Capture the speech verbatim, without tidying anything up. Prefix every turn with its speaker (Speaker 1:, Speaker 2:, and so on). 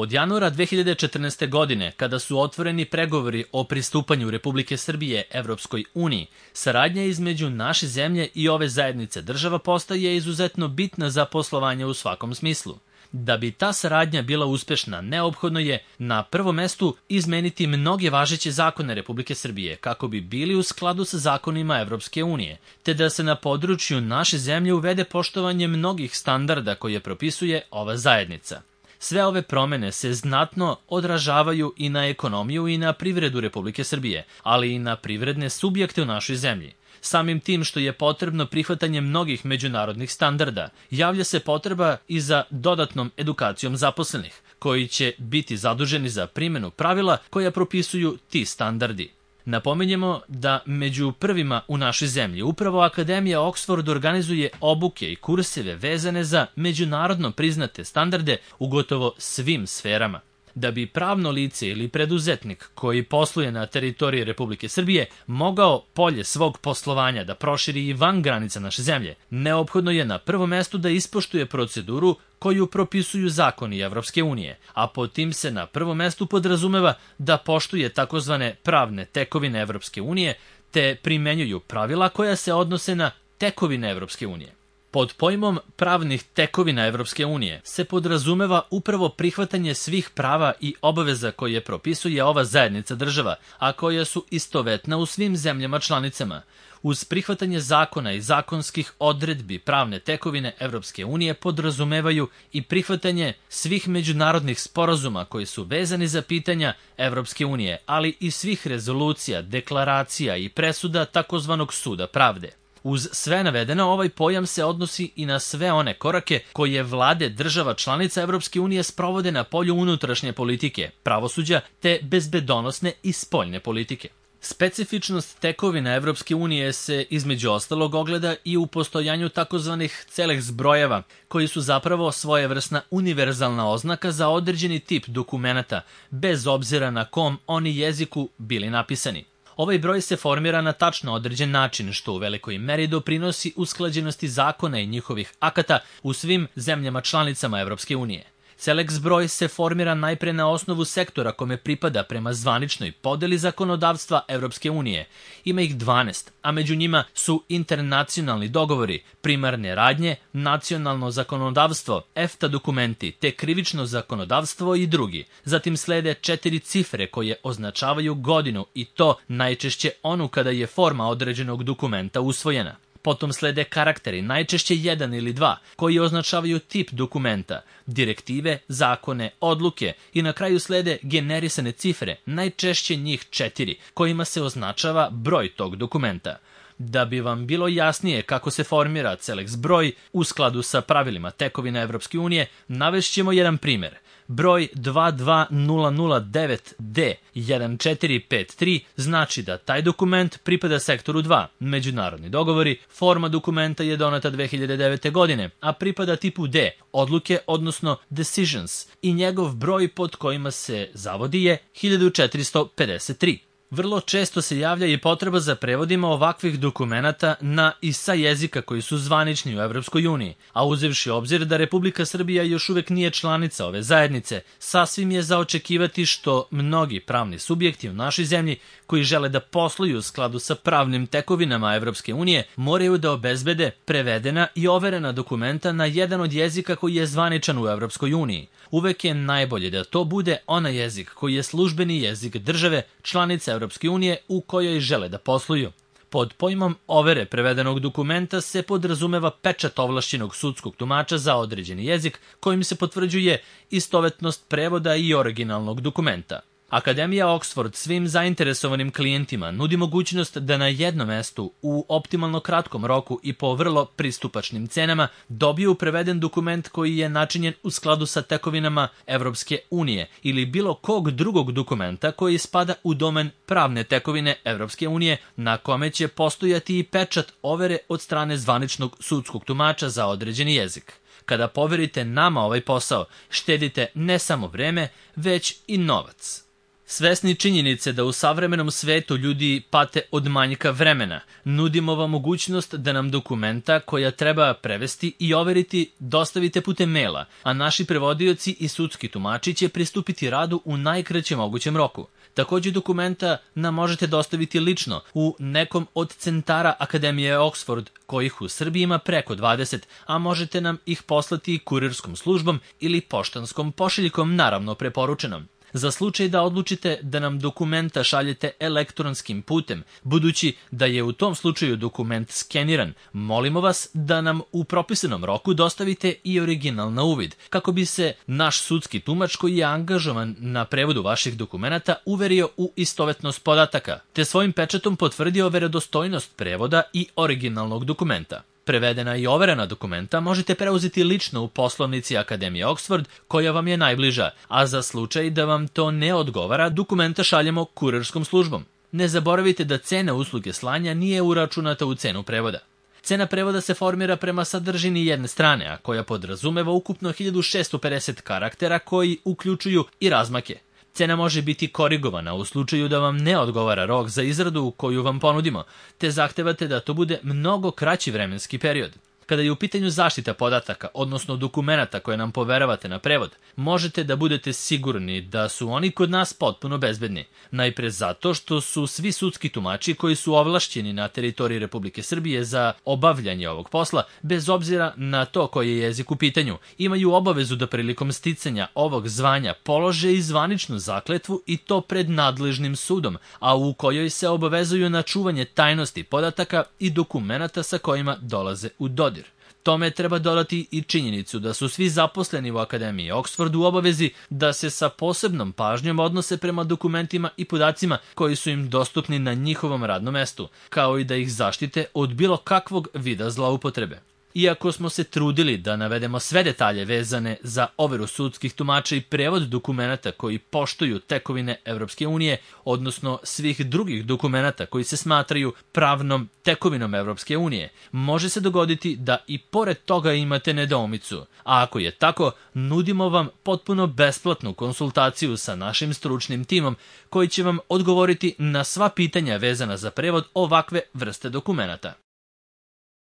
Speaker 1: Od januara dve hiljade četrnaeste. godine, kada su otvoreni pregovori o pristupanju Republike Srbije Evropskoj uniji, saradnja između naše zemlje i ove zajednice država postaje izuzetno bitna za poslovanje u svakom smislu. Da bi ta saradnja bila uspešna, neophodno je na prvom mestu izmeniti mnoge važeće zakone Republike Srbije kako bi bili u skladu sa zakonima Evropske unije, te da se na području naše zemlje uvede poštovanje mnogih standarda koje propisuje ova zajednica. Sve ove promene se znatno odražavaju i na ekonomiju i na privredu Republike Srbije, ali i na privredne subjekte u našoj zemlji. Samim tim što je potrebno prihvatanje mnogih međunarodnih standarda, javlja se potreba i za dodatnom edukacijom zaposlenih, koji će biti zaduženi za primjenu pravila koja propisuju ti standardi. Napominjemo da među prvima u našoj zemlji upravo Akademija Oxford organizuje obuke i kurseve vezane za međunarodno priznate standarde u gotovo svim sferama. Da bi pravno lice ili preduzetnik koji posluje na teritoriji Republike Srbije mogao polje svog poslovanja da proširi i van granica naše zemlje, neophodno je na prvom mestu da ispoštuje proceduru koju propisuju zakoni Evropske unije, a pod tim se na prvom mestu podrazumeva da poštuje takozvane pravne tekovine Evropske unije te primenjuju pravila koja se odnose na tekovine Evropske unije. Pod pojmom pravnih tekovina Evropske unije se podrazumeva upravo prihvatanje svih prava i obaveza koje propisuje ova zajednica država, a koja su istovetna u svim zemljama članicama. Uz prihvatanje zakona i zakonskih odredbi pravne tekovine Evropske unije podrazumevaju i prihvatanje svih međunarodnih sporazuma koji su vezani za pitanja Evropske unije, ali i svih rezolucija, deklaracija i presuda takozvanog suda pravde. Uz sve navedeno, ovaj pojam se odnosi i na sve one korake koje vlade država članica Evropske unije sprovode na polju unutrašnje politike, pravosuđa te bezbedonosne i spoljne politike. Specifičnost tekovina Evropske unije se između ostalog ogleda i u postojanju takozvanih celih zbrojeva, koji su zapravo svojevrsna univerzalna oznaka za određeni tip dokumenata, bez obzira na kom oni jeziku bili napisani. Ovaj broj se formira na tačno određen način, što u velikoj meri doprinosi usklađenosti zakona i njihovih akata u svim zemljama članicama Evropske unije. Seleks broj se formira najpre na osnovu sektora kome pripada prema zvaničnoj podeli zakonodavstva Evropske unije. Ima ih dvanaest, a među njima su internacionalni dogovori, primarne radnje, nacionalno zakonodavstvo, EFTA dokumenti, te krivično zakonodavstvo i drugi. Zatim slede četiri cifre koje označavaju godinu i to najčešće onu kada je forma određenog dokumenta usvojena. Potom slede karakteri, najčešće jedan ili dva, koji označavaju tip dokumenta, direktive, zakone, odluke i na kraju slede generisane cifre, najčešće njih četiri, kojima se označava broj tog dokumenta. Da bi vam bilo jasnije kako se formira Seleks broj u skladu sa pravilima tekovina Evropske unije, navešćemo jedan primjer. Broj dva dva nula nula devet D jedan četiri pet tri znači da taj dokument pripada sektoru dva, međunarodni dogovori, forma dokumenta je doneta dve hiljade devete. godine, a pripada tipu D, odluke, odnosno decisions, i njegov broj pod kojima se zavodi je hiljadu četiristo pedeset tri. Vrlo često se javlja i potreba za prevodima ovakvih dokumenata na i sa jezika koji su zvanični u Evropskoj uniji, a uzevši obzir da Republika Srbija još uvek nije članica ove zajednice, sasvim je za očekivati što mnogi pravni subjekti u našoj zemlji koji žele da posluju u skladu sa pravnim tekovinama Evropske unije moraju da obezbede prevedena i overena dokumenta na jedan od jezika koji je zvaničan u Evropskoj uniji. Uvek je najbolje da to bude onaj jezik koji je službeni jezik države članice Evropske unije u kojoj žele da posluju. Pod pojmom overe prevedenog dokumenta se podrazumeva pečat ovlašćenog sudskog tumača za određeni jezik kojim se potvrđuje istovetnost prevoda i originalnog dokumenta. Akademija Oxford svim zainteresovanim klijentima nudi mogućnost da na jednom mestu u optimalno kratkom roku i po vrlo pristupačnim cenama dobiju preveden dokument koji je načinjen u skladu sa tekovinama Evropske unije ili bilo kog drugog dokumenta koji spada u domen pravne tekovine Evropske unije na kome će postojati i pečat overe od strane zvaničnog sudskog tumača za određeni jezik. Kada poverite nama ovaj posao, štedite ne samo vreme, već i novac. Svesni činjenice da u savremenom svetu ljudi pate od manjka vremena, nudimo vam mogućnost da nam dokumenta koja treba prevesti i overiti dostavite putem maila, a naši prevodioci i sudski tumači će pristupiti radu u najkraćem mogućem roku. Takođe dokumenta nam možete dostaviti lično u nekom od centara Akademije Oxford, kojih u Srbiji ima preko dvadeset, a možete nam ih poslati kurirskom službom ili poštanskom pošiljkom, naravno preporučenom. Za slučaj da odlučite da nam dokumenta šaljete elektronskim putem, budući da je u tom slučaju dokument skeniran, molimo vas da nam u propisanom roku dostavite i original na uvid, kako bi se naš sudski tumač koji je angažovan na prevodu vaših dokumenata uverio u istovetnost podataka, te svojim pečatom potvrdio verodostojnost prevoda i originalnog dokumenta. Prevedena i overena dokumenta možete preuzeti lično u poslovnici Akademije Oxford, koja vam je najbliža, a za slučaj da vam to ne odgovara, dokumenta šaljemo kurirskom službom. Ne zaboravite da cena usluge slanja nije uračunata u cenu prevoda. Cena prevoda se formira prema sadržini jedne strane, a koja podrazumeva ukupno hiljadu šessto pedeset karaktera koji uključuju i razmake. Cena može biti korigovana u slučaju da vam ne odgovara rok za izradu koju vam ponudimo, te zahtevate da to bude mnogo kraći vremenski period. Kada je u pitanju zaštita podataka, odnosno dokumenata koje nam poveravate na prevod, možete da budete sigurni da su oni kod nas potpuno bezbedni. Najpre zato što su svi sudski tumači koji su ovlašćeni na teritoriji Republike Srbije za obavljanje ovog posla, bez obzira na to koji je jezik u pitanju, imaju obavezu da prilikom sticanja ovog zvanja polože i zvaničnu zakletvu i to pred nadležnim sudom, a u kojoj se obavezuju na čuvanje tajnosti podataka i dokumenata sa kojima dolaze u dodir. Tome treba dodati i činjenicu da su svi zaposleni u Akademiji Oxford u obavezi da se sa posebnom pažnjom odnose prema dokumentima i podacima koji su im dostupni na njihovom radnom mestu, kao i da ih zaštite od bilo kakvog vida zloupotrebe. Iako smo se trudili da navedemo sve detalje vezane za overu sudskih tumača i prevod dokumenata koji poštuju tekovine Evropske unije, odnosno svih drugih dokumenata koji se smatraju pravnom tekovinom Evropske unije, može se dogoditi da i pored toga imate nedoumicu, a ako je tako, nudimo vam potpuno besplatnu konsultaciju sa našim stručnim timom koji će vam odgovoriti na sva pitanja vezana za prevod ovakve vrste dokumenata.